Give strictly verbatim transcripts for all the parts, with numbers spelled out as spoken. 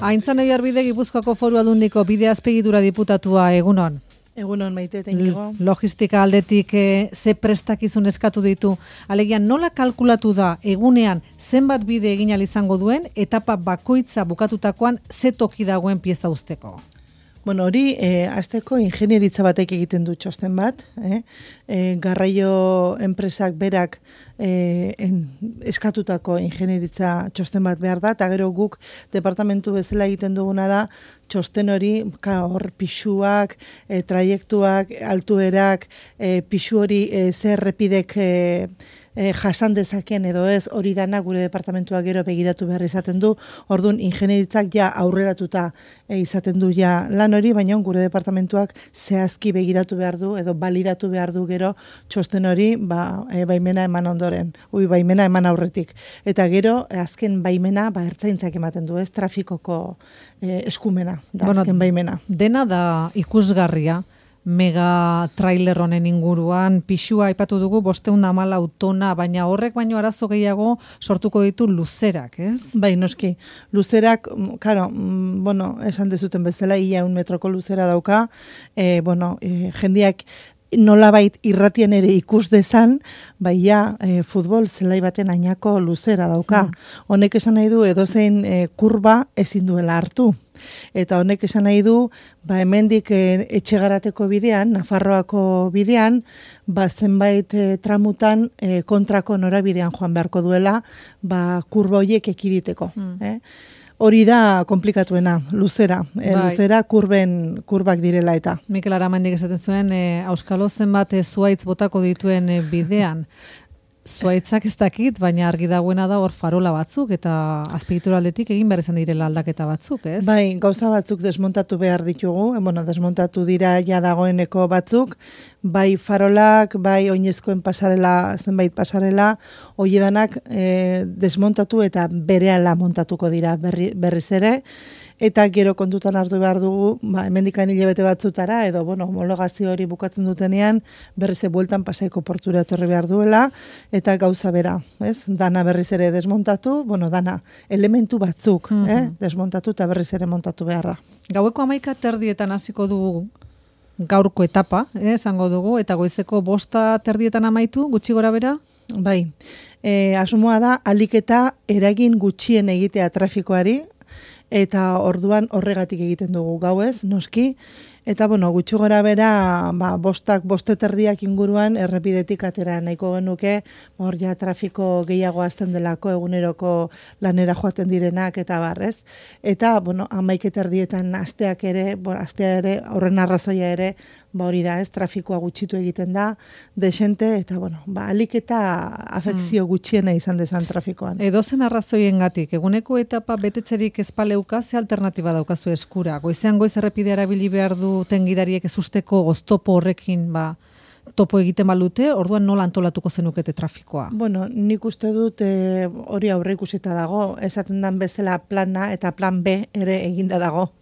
Aintzane Jarbide Gipuzkoako Foru Aldundiko bide azpiegitura diputatua, egunon. Egunon Maite eta Inigo. Logistika aldetik e, ze prestakizun eskatu ditu. Alegia nola kalkulatu da egunean zenbat bide egin ahal izango duen etapa bakoitza bukatutakoan ze toki dagoen pieza usteko? Bueno, hori eh, azteko ingenieritza batek egiten du txosten bat. Eh? Eh, garraio enpresak berak eh, en, eskatutako ingenieritza txosten bat behar da, eta gero guk departamentu bezala egiten duguna da, txosten hori, ka, hor pisuak, eh, traiektuak, altuerak, eh, pisu hori eh, zer errepidek eh, E, jasan dezaken edo ez, hori dana gure departamentuak gero begiratu behar izaten du, orduan ingenieritzak ja aurreratuta e, izaten du ja lan hori, baina gure departamentuak zehazki begiratu behar du edo balidatu behar du gero txosten hori ba, e, baimena eman ondoren, ui baimena eman aurretik. Eta gero, e, azken baimena ba, ertzaintzak ematen du, ez trafikoko e, eskumena, da bueno, azken baimena. Dena da ikusgarria, mega trailer honen inguruan, pixua aipatu dugu bosteun da hamalau tona, baina horrek baino arazo gehiago sortuko ditu luzerak, ez? Bai, noski. Luzerak, claro, bueno, esan dezuten bezala, ia un metroko luzera dauka, e, bueno, e, jendiak nolabait irratien ere ikus dezan, bai ja, e, futbol zelai baten ainako luzera dauka. Mm. Honek esan nahi du edozein e, kurba ezin duela hartu. Eta honek esan nahi du, ba hemendik e, etxegarateko bidean, Nafarroako bidean, ba zenbait e, tramutan e, kontrako norabidean joan beharko duela, ba kurba hoiek ekiditeko. Mm. Eh? Hori da komplikatuena, luzera. E, bai. Luzera kurben, kurbak direla eta. Mikel Aramendik esaten zuen, e, auskalo zenbat e, zuaitz botako dituen e, bidean. Zuaitzak ez dakit, baina argi dagoena da hor farola batzuk eta azpiegitura aldetik egin behar izan direla aldaketa batzuk, ez? Bai, gauza batzuk desmontatu behar ditugu, e, bueno, desmontatu dira ja dagoeneko batzuk, bai farolak, bai oinezkoen pasarela, zenbait pasarela, hoiedanak e, desmontatu eta berehala montatuko dira berri, berriz ere, eta gero kontutan hartu behar dugu, ba, hemendikan hilabete batzutara, edo, bueno, homologazio hori bukatzen dutenean, berriz bueltan pasaiko portura etorri behar duela, eta gauza bera, ez? Dana berriz ere desmontatu, bueno, dana elementu batzuk, mm-hmm. eh? Desmontatu eta berriz ere montatu beharra. Gaueko hamaika terdietan hasiko dugu gaurko etapa, eh, esango dugu, eta goizeko bosta terdietan amaitu, gutxi gora bera? Bai, e, asmoa da, alik eta eragin gutxien egitea trafikoari, eta orduan horregatik egiten dugu gauez, noski, eta bueno, gutxi gora bera, ba, bostak, bosteterdiak inguruan errepidetik atera nahiko genuke, hor ja trafiko gehiago azten delako eguneroko lanera joaten direnak eta barrez. Eta, bueno, amaiketerdietan asteak ere, bo, astea ere, horren arrazoia ere, ba hori da, ez, trafikoa gutxitu egiten da, desente, eta, bueno, ba, alik eta afekzio gutxiena izan dezan trafikoan. Edozen arrazoiengatik, eguneko etapa betetzerik ezpaleuka, ze alternatiba daukazu eskura? Goizean goiz errepidea erabili behar du tengidariek ez usteko oztopo horrekin, ba, topo egiten balute, orduan nola antolatuko zenukete trafikoa? Bueno, nik uste dut e, hori aurre ikusita dago, esaten dan bezala plana eta plan B ere eginda dago.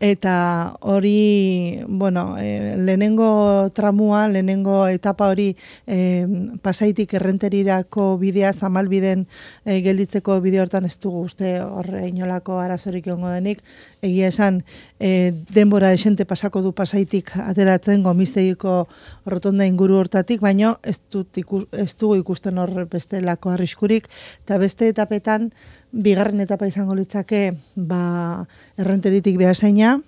Eta hori, bueno, e, lehenengo tramua, lehenengo etapa hori e, Pasaitik errenterirako bidea, zamalbiden e, gelditzeko bide hortan ez dugu uste horre inolako arazorik egongo denik. Egia esan, e, denbora esente pasako du Pasaitik ateratzen gomiztegiko rotonda inguru hortatik, baina ez, ikus, ez dugu ikusten hor bestelako arriskurik, eta beste etapetan, bigarren etapa izango litzake ba, errenteritik behasaina,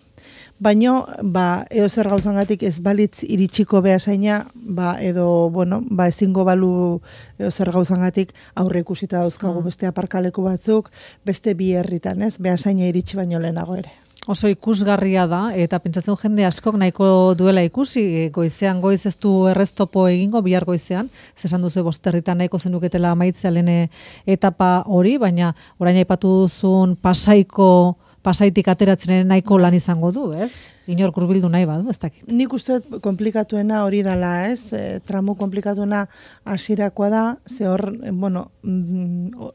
baino ba, eozer gauzangatik ez balitz iritsiko behasaina, ba, edo bueno, ba, ezingo balu eozer gauzangatik aurre ikusita dauzkagu mm. beste aparkaleku batzuk, beste bi herritan, ez, behasaina iritsi baino lehenago ere. Oso ikusgarria da, eta pentsatzen jende askok nahiko duela ikusi, goizean goiz ez du erreztopo egingo, bihar goizean, zesan duzu bosterritan nahiko zenuketela amaitzea lehen etapa hori, baina orain aipatu duzun Pasaiko, Pasaitik ateratzen nahiko lan izango du, ez? inor hurbildu nahi badu, ez dakit. Nik uste komplikatuena hori dela, ez? E, tramo komplikatuena hasirakoa da, ze hor, bueno,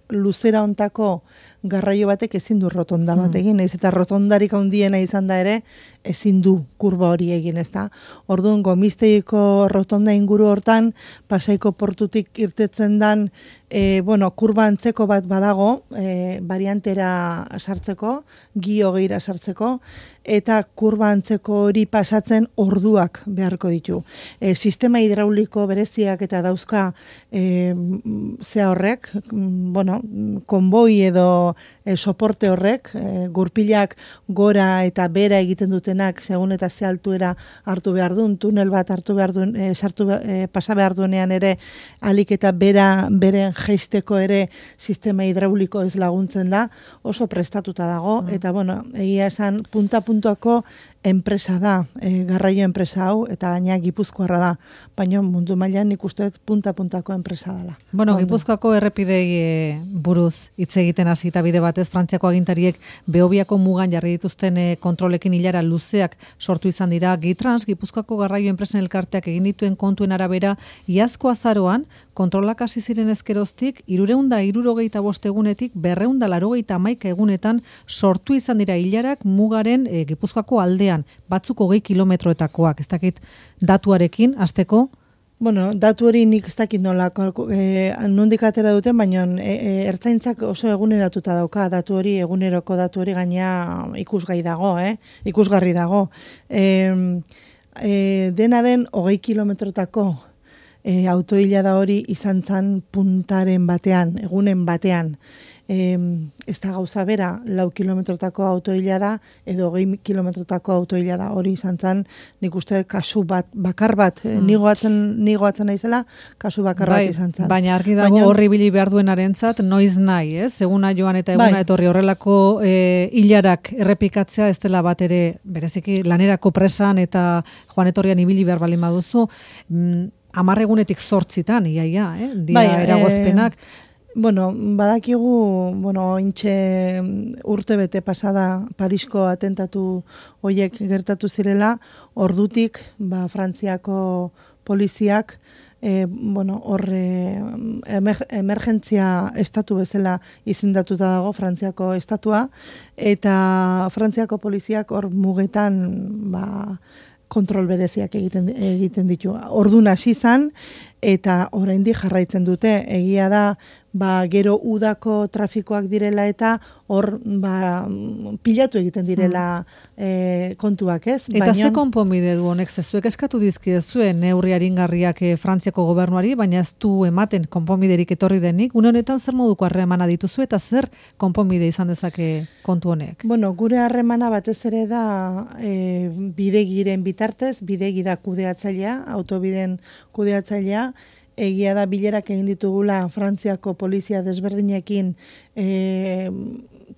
luzera hontako garraio batek ezin du rotonda bat egin, naiz eta rotondarik handiena izan da ere, ezin du kurba hori egin, ezta? Orduan, Gomisteiko rotonda inguru hortan, Pasaiko portutik irtetzen dan, e, bueno, kurba antzeko bat badago, e, variantera sartzeko, gio geira sartzeko, eta kurba antzeko hori pasatzen orduak beharko ditu. E, sistema hidrauliko bereziak eta dauzka e, zea horrek, bueno, konboi edo e, soporte horrek, e, gurpilak gora eta bera egiten dutenak, segun eta ze altuera hartu behar duen, tunel bat hartu behar duen, e, sartu, e, pasa behar duenean ere, alik eta bera, beren jeisteko ere sistema hidrauliko ez laguntzen da, oso prestatuta dago, mm. eta bueno, egia esan, punta-puntuako enpresa da, e, garraio enpresa hau, eta gaina Gipuzkoarra da, baina mundu mailan nik uste punta-puntako enpresa dela. Bueno, Ondo. Gipuzkoako errepidei e, buruz hitz egiten hasi eta bide batez, Frantziako agintariek Behobiako mugan jarri dituzten e, kontrolekin hilara luzeak sortu izan dira. Gitrans, Gipuzkoako garraio enpresen elkarteak egin dituen kontuen arabera, iazko azaroan, kontrolak hasi ziren ezkeroztik, irureunda irurogeita bost egunetik, berreunda larogeita hamaika egunetan sortu izan dira hilarak mugaren e, Gipuzkoako aldean, batzuk hogei kilometroetakoak, ez dakit datuarekin, hasteko? Bueno, datu hori nik ez dakit nola, e, nondik atera duten, baina e, e, ertzaintzak oso eguneratuta dauka, datu hori, eguneroko datu hori gaina ikusgai dago, eh? ikusgarri dago. E, e, dena den hogei kilometrotako e, autoila da hori izan zan puntaren batean, egunen batean. E, ez da gauza bera, lau kilometrotako autoila da, edo hogei kilometrotako autoila da, hori izan zen, nik uste kasu bat, bakar bat, hmm. nigoatzen, nigoatzen naizela, kasu bakar bai, bat izan zen. Baina argi dago baina, horri bili behar duenarentzat noiz nahi, ez? Eguna joan eta eguna bai. Etorri horrelako e, hilarak errepikatzea, ez dela bat ere, bereziki lanerako presan eta joan etorrian ibili behar balin baduzu, mm, hamar egunetik zortzitan, iaia, eh? Dia bai, eragozpenak, e, Bueno, badakigu, bueno, intxe urte bete pasada Parisko atentatu hoiek gertatu zirela, ordutik, ba, Frantziako poliziak, e, bueno, horre emer, emergentzia estatu bezala izendatuta dago Frantziako estatua, eta Frantziako poliziak hor mugetan, ba, kontrol bereziak egiten egiten ditu. Ordun hasi izan eta oraindik jarraitzen dute. Egia da, ba, gero udako trafikoak direla eta hor ba, pilatu egiten direla e, kontuak, ez? Eta baina, ze konponbide du honek, zezuek eskatu dizkiezue neurri aringarriak e, Frantziako gobernuari, baina ez du ematen konponbiderik etorri denik. Une honetan zer moduko harremana dituzu eta zer konponbide izan dezake kontu honek? Bueno, gure harremana batez ere da e, bidegiren bitartez, bidegi da kudeatzailea, autobiden kudeatzailea, egia da bilerak egin ditugula Frantziako polizia desberdinekin, e,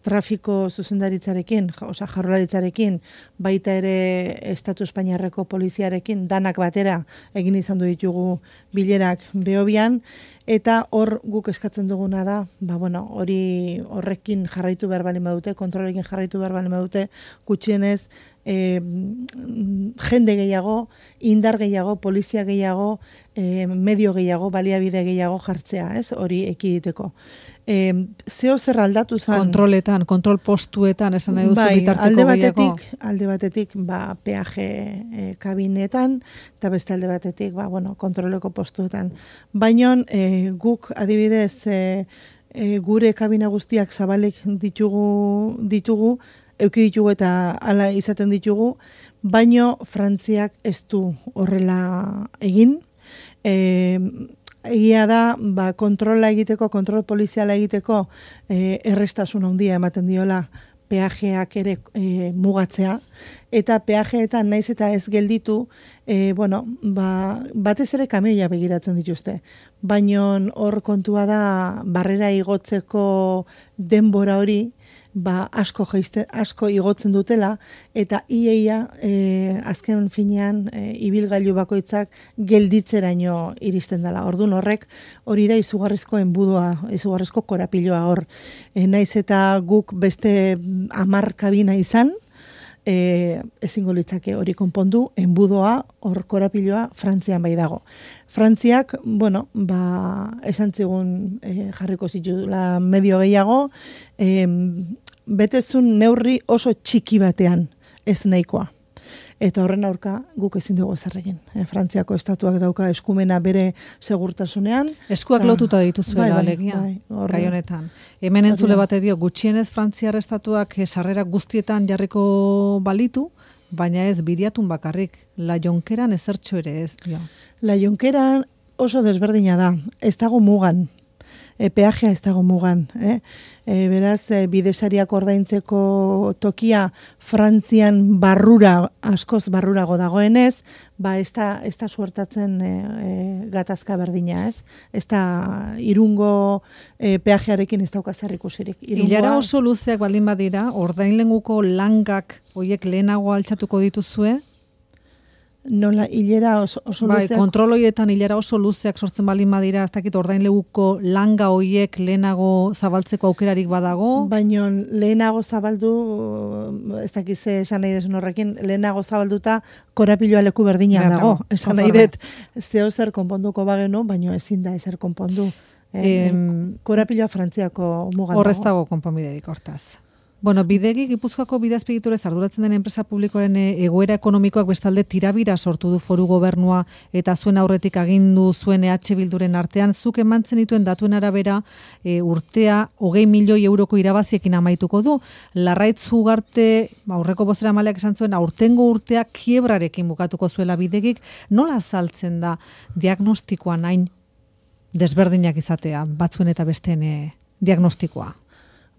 trafiko zuzendaritzarekin, osea jarrolaritzarekin, baita ere Estatu Espainiarreko poliziarekin, danak batera egin izan du ditugu bilerak Behobian, eta hor guk eskatzen duguna da, ba bueno, hori horrekin jarraitu behar balin badute, kontrolekin jarraitu behar balin badute, gutxienez, E, jende gehiago, indar gehiago, polizia gehiago, e, medio gehiago, baliabide gehiago jartzea, ez? Hori ekiditeko. E, zeo zer aldatu zen... Kontroletan, kontrol postuetan, esan nahi duzu bai, bitarteko alde gehiago? batetik, alde batetik, ba, peaje e, kabinetan, eta beste alde batetik, ba, bueno, kontroleko postuetan. Baina e, guk adibidez, e, e, gure kabina guztiak zabalik ditugu, ditugu, euki ditugu eta hala izaten ditugu, baino Frantziak ez du horrela egin. E, egia da, ba, kontrola egiteko, kontrol poliziala egiteko, e, errestasun handia ematen diola peajeak ere e, mugatzea, eta peajeetan naiz eta ez gelditu, e, bueno, ba, batez ere kameia begiratzen dituzte. Baino hor kontua da, barrera igotzeko denbora hori, ba, asko jeiste, asko igotzen dutela, eta iaia e, azken finean e, ibilgailu bakoitzak gelditzeraino iristen dela. Ordun horrek hori da izugarrizko enbudua, izugarrizko korapiloa hor. E, naiz eta guk beste hamar kabina izan, e, ezingo litzake hori konpondu, enbudoa, hor korapiloa, Frantzian bai dago. Frantziak, bueno, ba, esan zigun e, jarriko zitula medio gehiago, e, betezun neurri oso txiki batean ez nahikoa. Eta horren aurka guk ezin dugu ezer egin. E, Frantziako estatuak dauka eskumena bere segurtasunean. Eskuak lotuta dituzuela, bai, bai, alegia, bai, gai honetan. Hemen entzule bate dio, gutxienez Frantziar estatuak sarrera guztietan jarriko balitu, baina ez biriatun bakarrik. La Jonkeran ezertxo ere ez dio. La Jonkeran oso desberdina da. Ez dago mugan. E, peajea ez dago mugan. Eh? E, beraz, e, bidesariak ordaintzeko tokia Frantzian barrura, askoz barrurago dagoenez, ba ez da, ez da suertatzen e, e, gatazka berdina, ez? Ez da irungo e, peajearekin ez dauka zer ikusirik. Irungoa... Ilara oso luzeak baldin badira, ordainlenguko langak hoiek lehenago altxatuko dituzue? Nola, hilera oso, oso bai, luzeak... kontroloietan hilera oso luzeak sortzen balin badira, ez dakit ordainleguko langa hoiek lehenago zabaltzeko aukerarik badago? Baina lehenago zabaldu, ez dakit ze esan nahi desun horrekin, lehenago zabalduta korapiloa leku berdinean dago. Esan nahi dut, zeo zer konponduko bagenu, baina ezin da ezer konpondu. Eh, em, korapiloa Frantziako mugan dago. Horrez dago konponbiderik hortaz. Bueno, Bidegi Gipuzkoako bidazpiegiturez arduratzen den enpresa publikoaren egoera ekonomikoak bestalde tirabira sortu du foru gobernua eta zuen aurretik agindu zuen E H Bilduren artean, zuk emantzen dituen datuen arabera e, urtea hogei milioi euroko irabaziekin amaituko du. Larraitz Ugarte, aurreko bozeramaleak esan zuen, aurtengo urtea kiebrarekin bukatuko zuela Bidegik. Nola azaltzen da diagnostikoan hain desberdinak izatea, batzuen eta besteen e, diagnostikoa?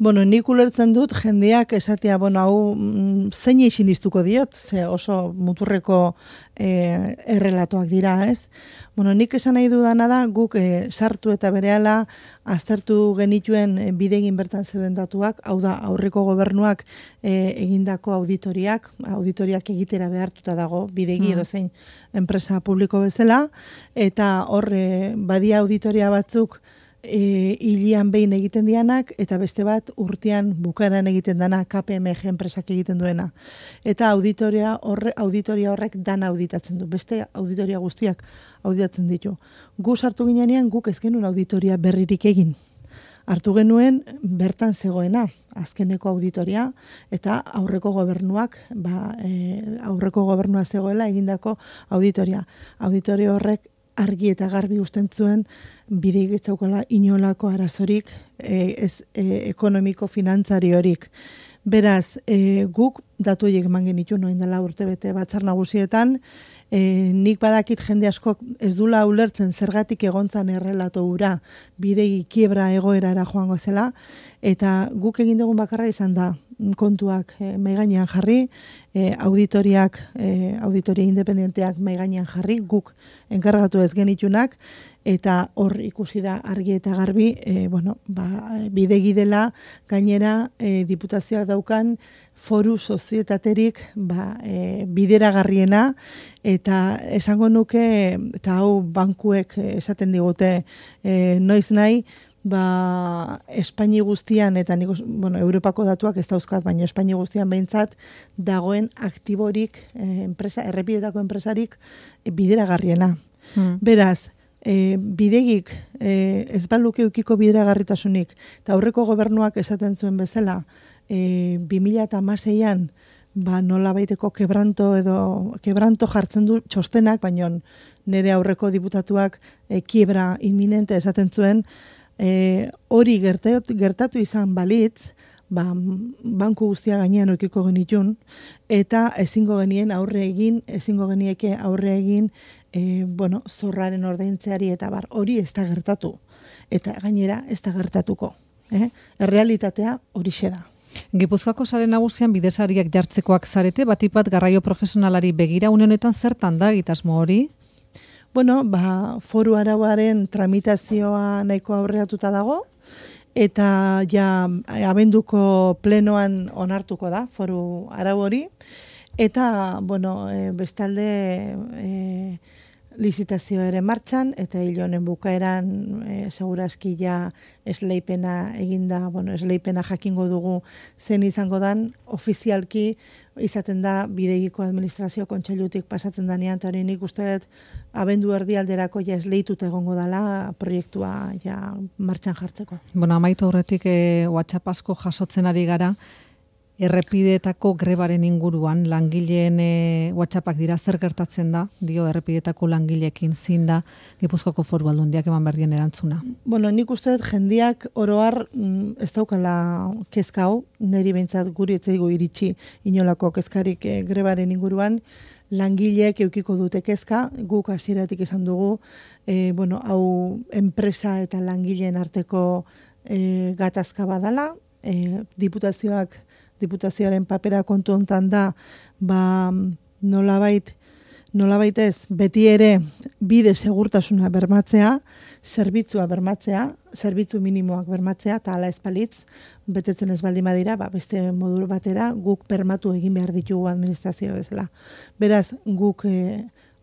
Bueno, nik ulertzen dut jendeak esatea, bueno, hau mm, zein eixin diztuko diot, ze oso muturreko e, errelatoak dira, ez? Bueno, nik esan nahi dudana da, guk e, sartu eta berehala aztertu genituen e, Bidegin bertan zeuden datuak, hau da, aurreko gobernuak e, egindako auditoriak, auditoriak egitera behartuta dago Bidegi mm. edo zein enpresa publiko bezala, eta hor e, badia auditoria batzuk E, hilian behin egiten dianak, eta beste bat urtean bukaeran egiten dana K P M G enpresak egiten duena. Eta auditoria, horre, auditoria horrek dana auditatzen du. Beste auditoria guztiak auditatzen ditu. Gu sartu ginean guk ez genuen auditoria berririk egin. Hartu genuen bertan zegoena, azkeneko auditoria, eta aurreko gobernuak, ba, e, aurreko gobernua zegoela egindako auditoria. Auditoria horrek argi eta garbi usten zuen Bidegi ez zaukala inolako arazorik e, ez e, ekonomiko finantzari horik. Beraz, e, guk datu horiek eman genitu noin dela urtebete batzar nagusietan, e, nik badakit jende askok ez dula ulertzen zergatik egontzan errelato hura Bidegi kiebra egoerara joango zela, eta guk egin dugun bakarra izan da kontuak e, maigainean jarri, e, auditoriak, e, auditoria independenteak maigainean jarri, guk enkargatu ez genitunak, eta hor ikusi da argi eta garbi, e, bueno, ba, Bidegi dela gainera e, diputazioak daukan foru sozietaterik ba, e, bideragarriena, eta esango nuke, eta hau bankuek esaten digute e, noiz nahi, ba, Espaini guztian, eta nik, bueno, Europako datuak ez dauzkat, baina Espaini guztian behintzat dagoen aktiborik, e, enpresa, errepidetako enpresarik e, bideragarriena. Hmm. Beraz, E, Bidegik e, ez baluke ukiko bideragarritasunik, eta aurreko gobernuak esaten zuen bezala, e, bi mila hamaseian ba, nola baiteko kebranto edo kebranto jartzen du txostenak, baina nire aurreko diputatuak e, kiebra inminente esaten zuen, e, hori gertatu, gertatu izan balitz, ba, banku guztia gainean ukiko genitun, eta ezingo genien aurre egin, ezingo genieke aurre egin, E, bueno, zorraren ordaintzeari eta bar, hori ez da gertatu. Eta gainera ez da gertatuko. Eh? Errealitatea horixe da. Gipuzkoako sare nagusian bidesariak jartzekoak zarete, batipat garraio profesionalari begira une honetan zertan da egitasmo hori? Bueno, ba, foru arauaren tramitazioa nahiko aurreatuta dago, eta ja abenduko plenoan onartuko da foru arau hori, eta, bueno, e, bestalde... E, lizitazio ere martxan, eta hil honen bukaeran e, segurazki ja esleipena eginda, bueno, esleipena jakingo dugu zen izango dan, ofizialki izaten da bidegiko administrazio kontseilutik pasatzen danean, eta hori nik uste dut abendu erdialderako ja esleituta egongo dela proiektua ja martxan jartzeko. Bueno, amaitu horretik e, WhatsApp asko jasotzen ari gara, errepideetako grebaren inguruan, langileen e, WhatsAppak dira, zer gertatzen da, dio errepideetako langileekin zin da, Gipuzkoako Foru Aldundiak eman berdien erantzuna. Bueno, nik uste dut jendiak oroar ez daukala kezka hau, niri behintzat guri etzaigu iritsi inolako kezkarik e, grebaren inguruan, langileek eukiko dute kezka, guk hasieratik esan dugu, e, bueno, hau enpresa eta langileen arteko e, gatazka badala, e, diputazioak diputazioaren papera kontu hontan da, ba, nolabait, nolabait ez, beti ere bide segurtasuna bermatzea, zerbitzua bermatzea, zerbitzu minimoak bermatzea, eta hala espalitz, betetzen ez baldin badira, ba, beste modu batera, guk bermatu egin behar ditugu administrazio bezala. Beraz, guk e,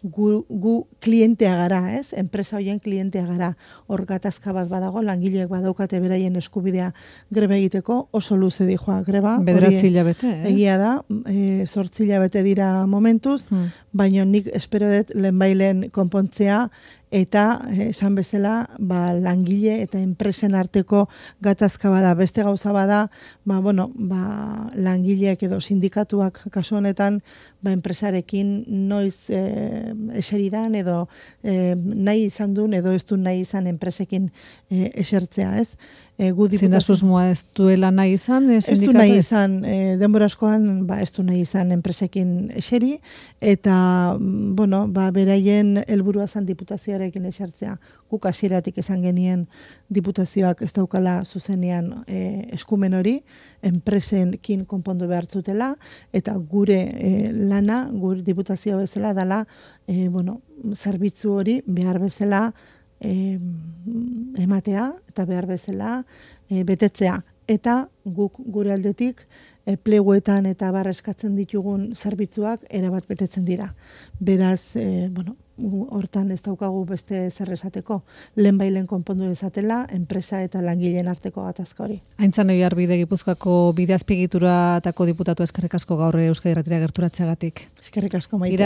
gu, gu klientea gara, ez? Enpresa horien klientea gara. Hor gatazka bat badago, langileek badaukate beraien eskubidea greba egiteko, oso luze dijoa greba. Bederatzi hilabete, ez? Egia da, e, zortzi hilabete dira momentuz, hmm. baina nik espero dut lehenbailen konpontzea, eta esan bezala ba, langile eta enpresen arteko gatazka bada. Beste gauza bada, ba, bueno, ba, langileek edo sindikatuak kasu honetan ba, enpresarekin noiz e, eseridan edo e, nahi izan duen edo ez du nahi izan enpresekin e, esertzea, ez? E, Zinda susmoa ez duela nahi izan? Ez du nahi izan, e, denbora askoan ba, ez du nahi izan enpresekin eseri, eta bueno, ba, beraien helburua zan diputazioarekin esertzea. Guk hasieratik esan genien diputazioak ez daukala zuzenean e, eskumen hori, enpresenkin konpondu behartzutela, eta gure e, lana, gure diputazio bezala dela, e, bueno, zerbitzu hori behar bezala E, ematea eta behar bezala e, betetzea. Eta guk gure aldetik e, pleguetan eta barreskatzen ditugun zerbitzuak erabat betetzen dira. Beraz, e, bueno, hortan ez daukagu beste zer esateko. Lehenbailen konpondu dezatela, enpresa eta langileen arteko gatazka hori. Aintzan Oiar Bide Gipuzkoako bide azpigituratako diputatu eskerrik asko gaur Euskadi Irratira gerturatzeagatik. Eskerrik asko Maite.